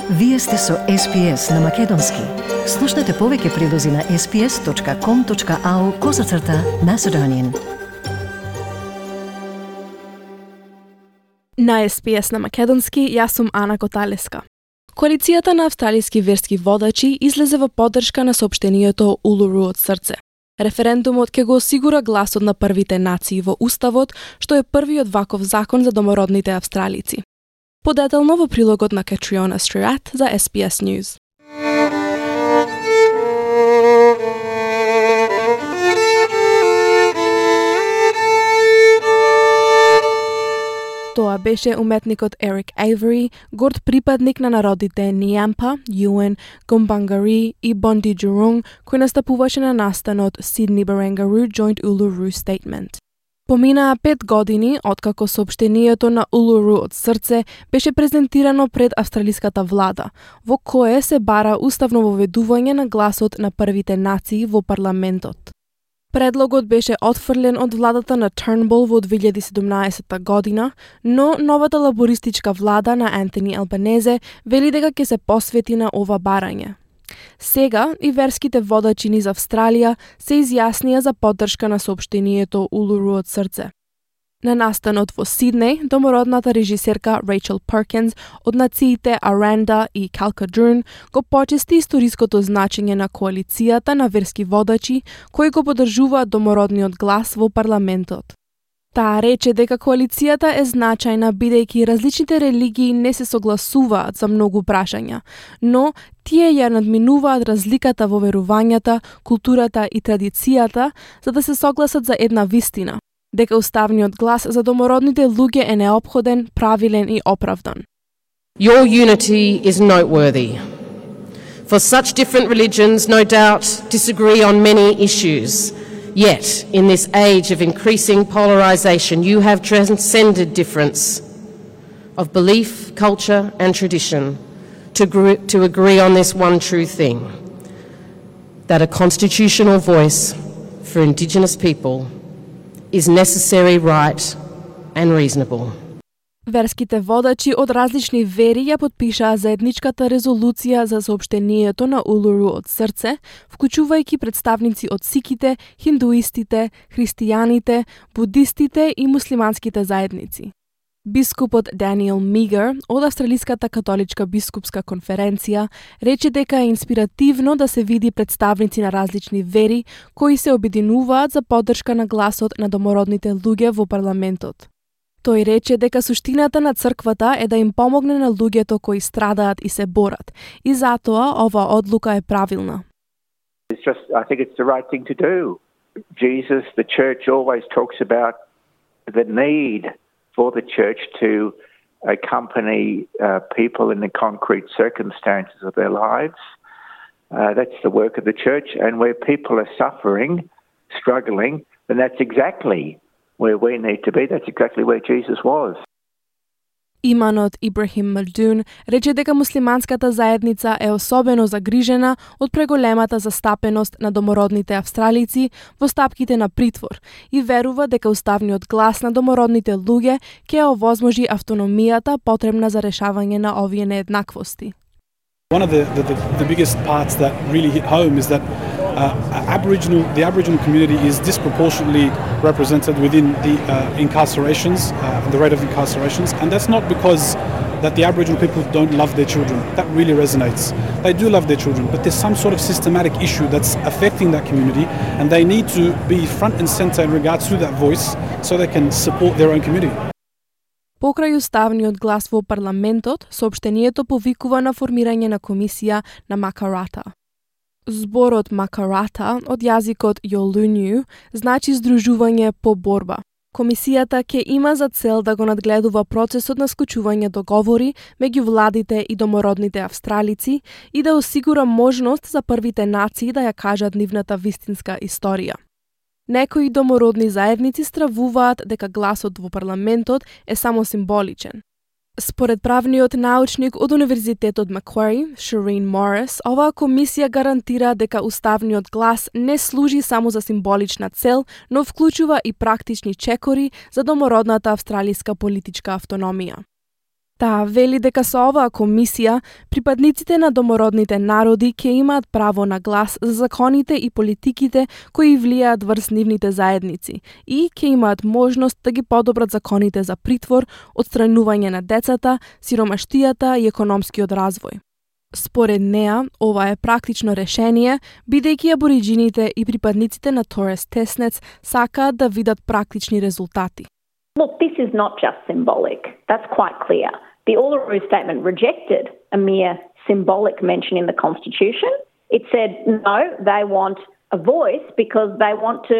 Вие сте со SPS на Македонски. Слушнете повеќе прилози на sps.com.au/Macedonian. На SPS на Македонски, јас сум Ана Коталеска. Коалицијата на австралиски верски водачи излезе во поддршка на соопштението Улуру од срце. Референдумот ќе го осигура гласот на првите нации во Уставот, што е првиот ваков закон за домородните австралици. Подетелно во прилогот на Catriona Stewart за SPS News. Тоа беше уметникот Eric Avery, горд припадник на народите Ниампа, Юен, Гомбангари и Бонди Джурунг, кој настапуваше на настанот Sydney Barangaroo Joint Uluru Statement. Поминаа 5 години откако соопштението на Улуру од срце беше презентирано пред австралиската влада, во кое се бара уставно воведување на гласот на првите нации во парламентот. Предлогот беше отфрлен од владата на Turnbull во 2017 година, но новата лабористичка влада на Антони Албанезе вели дека ќе се посвети на ова барање. Сега и верските водачи низ Австралија се изјаснија за поддршка на соопштението Улуру од срце. На настанот во Сиднеј, домородната режисерка Рейчел Перкинс од нациите Аранда и Калкадрун го почести историското значење на коалицијата на верски водачи кои го поддржуваат домородниот глас во парламентот. Таа рече дека коалицијата е значајна бидејќи различните религии не се согласуваат за многу прашања, но тие ја надминуваат разликата во верувањата, културата и традицијата за да се согласат за една вистина, дека уставниот глас за домородните луѓе е неопходен, правилен и оправдан. Your unity is noteworthy. For such different religions, no doubt, disagree on many issues. Yet, in this age of increasing polarisation, you have transcended difference of belief, culture and tradition to agree on this one true thing, that a constitutional voice for Indigenous people is necessary, right and reasonable. Верските водачи од различни вери ја потпишаа заедничката резолуција за соопштението на Улуру од срце, вклучувајќи представници од сиките, хиндуистите, христијаните, будистите и муслиманските заедници. Бискупот Даниел Мигер од Австралиската католичка бискупска конференција рече дека е инспиративно да се види представници на различни вери кои се обединуваат за поддршка на гласот на домородните луѓе во парламентот. Тој рече дека суштината на црквата е да им помогне на луѓето кои страдаат и се борат, и затоа ова одлука е правилна. I think it's the right thing to do. Jesus, the church always talks about the need for the church to accompany people in the concrete circumstances of their lives. That's the work of the church, and where people are suffering, struggling, then that's exactly where we need to be. That's exactly where Jesus was. Иманот Ибрахим Мальдун рече дека муслиманската заедница е особено загрижена од преголемата застапеност на домородните австралици во стапките на притвор и верува дека уставниот глас на домородните луѓе ќе овозможи автономијата потребна за решавање на овие нееднаквости. One of the biggest parts that really hit home is that the Aboriginal community is disproportionately represented within the incarcerations, the rate of incarcerations, and that's not because that the Aboriginal people don't love their children. That really resonates. They do love their children, but there's some sort of systematic issue that's affecting that community, and they need to be front and center in regards to that voice so they can support their own community. Покрај уставниот глас во парламентот, соопштението повикува на формирање на комисија на Макарата. Зборот Макарата од јазикот Йолунју значи здружување по борба. Комисијата ќе има за цел да го надгледува процесот на склучување договори меѓу владите и домородните австралици и да осигура можност за првите нации да ја кажат нивната вистинска историја. Некои домородни заедници стравуваат дека гласот во парламентот е само символичен. Според правниот научник од Универзитетот Маквари, Shireen Morris, оваа комисија гарантира дека уставниот глас не служи само за символична цел, но вклучува и практични чекори за домородната австралиска политичка автономија. Таа вели дека со оваа комисија, припадниците на домородните народи ќе имаат право на глас за законите и политиките кои влијаат врз нивните заедници и ќе имаат можност да ги подобрат законите за притвор, отстранување на децата, сиромаштијата и економскиот развој. Според неа, ова е практично решение, бидејќи абориџините и припадниците на Торес Теснец сакаат да видат практични резултати. Look, this is not just symbolic. That's quite clear. The Uluru Statement rejected a mere symbolic mention in the Constitution. It said, no, they want a voice because they want to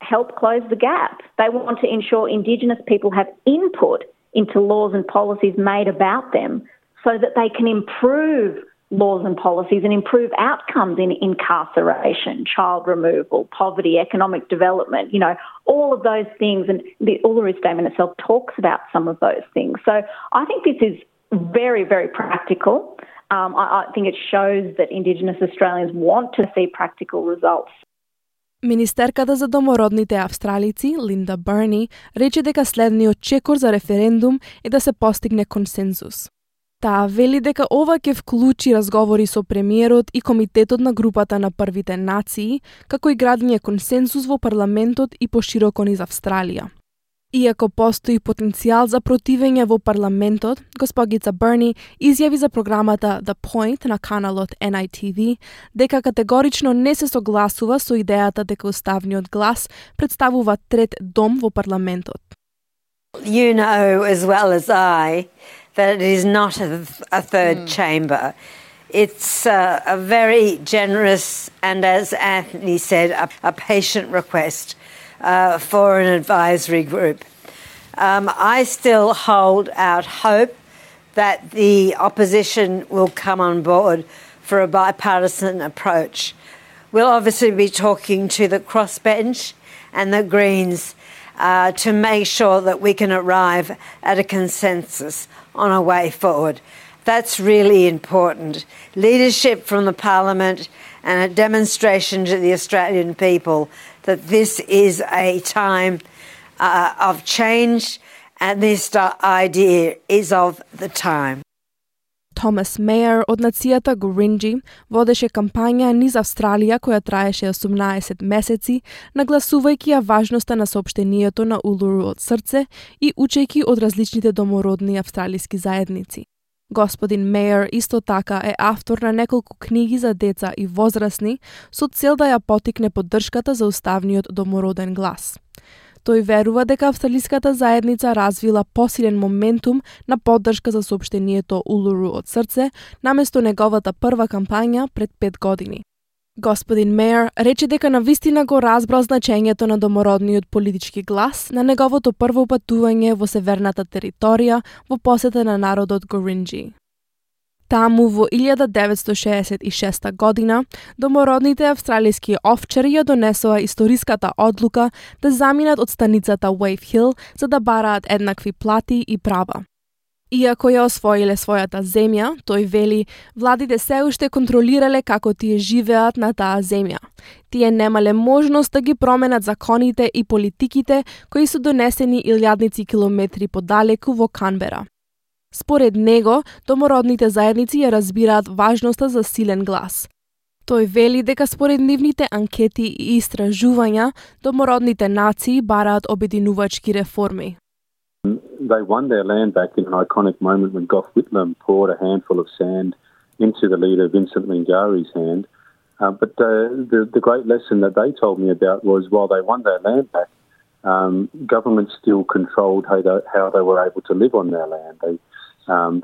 help close the gap. They want to ensure Indigenous people have input into laws and policies made about them so that they can improve laws and policies and improve outcomes in incarceration, child removal, poverty, economic development, all of those things. And the Uluru Statement itself talks about some of those things. So I think this is very, very practical. I think it shows that Indigenous Australians want to see practical results. Министерката за домородните австралици, Линда Берни, рече дека следниот чекор за референдум е да се постигне консензус. Таа вели дека ова ќе вклучи разговори со премиерот и комитетот на групата на првите нации, како и градење консензус во парламентот и пошироко низ Австралија. Иако постои потенцијал за противење во парламентот, госпогица Берни изјави за програмата The Point на каналот NITV дека категорично не се согласува со идејата дека уставниот глас представува трет дом во парламентот. You know as well as I that it is not a third chamber. It's a very generous and, as Anthony said, a patient request for an advisory group. I still hold out hope that the opposition will come on board for a bipartisan approach. We'll obviously be talking to the crossbench and the Greens to make sure that we can arrive at a consensus on a way forward. That's really important. Leadership from the Parliament and a demonstration to the Australian people that this is a time of change and this idea is of the time. Томас Мејер од нацијата Гуринџи водеше кампања низ Австралија која траеше 18 месеци, нагласувајќи ја важноста на соопштението на Улуру од срце и учејќи од различните домородни австралиски заедници. Господин Мејер исто така е автор на неколку книги за деца и возрастни со цел да ја поттикне поддршката за уставниот домороден глас. Тој верува дека австралиската заедница развила посилен моментум на поддршка за соопштението Улуру од срце, наместо неговата прва кампања пред 5 години. Господин Мејер рече дека навистина го разбрал значењето на домородниот политички глас на неговото прво патување во северната територија во посета на народот Гуринџи. Таму во 1966 година, домородните австралиски овчари ја донесоа историската одлука да заминат од станицата Wave Hill за да бараат еднакви плати и права. Иако ја освоиле својата земја, тој вели, владите се уште контролирале како тие живеат на таа земја. Тие немале можност да ги променат законите и политиките кои се донесени илјадници километри подалеку во Канбера. Според него, домородните заедници ја разбираат важноста за силен глас. Тој вели дека според нивните анкети и истражувања, домородните нации бараат обединувачки реформи. They won their land back in an iconic moment when Gough Whitlam poured a handful of sand into the leader Vincent Lingary's hand. But the great lesson that they told me about was while they won their land back, government still controlled how they were able to live on their land.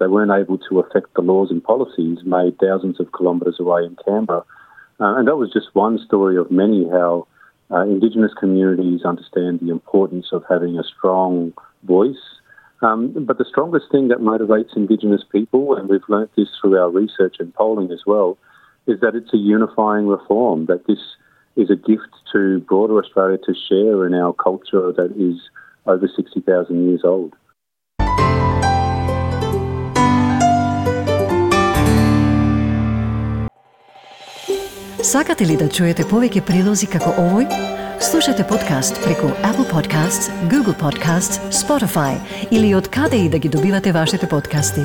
They weren't able to affect the laws and policies made thousands of kilometres away in Canberra. And that was just one story of many how Indigenous communities understand the importance of having a strong voice. But the strongest thing that motivates Indigenous people, and we've learnt this through our research and polling as well, is that it's a unifying reform, that this is a gift to broader Australia to share in our culture that is over 60,000 years old. Сакате ли да чуете повеќе прилози како овој? Слушате подкаст преку Apple Podcasts, Google Podcasts, Spotify или од каде и да ги добивате вашите подкасти.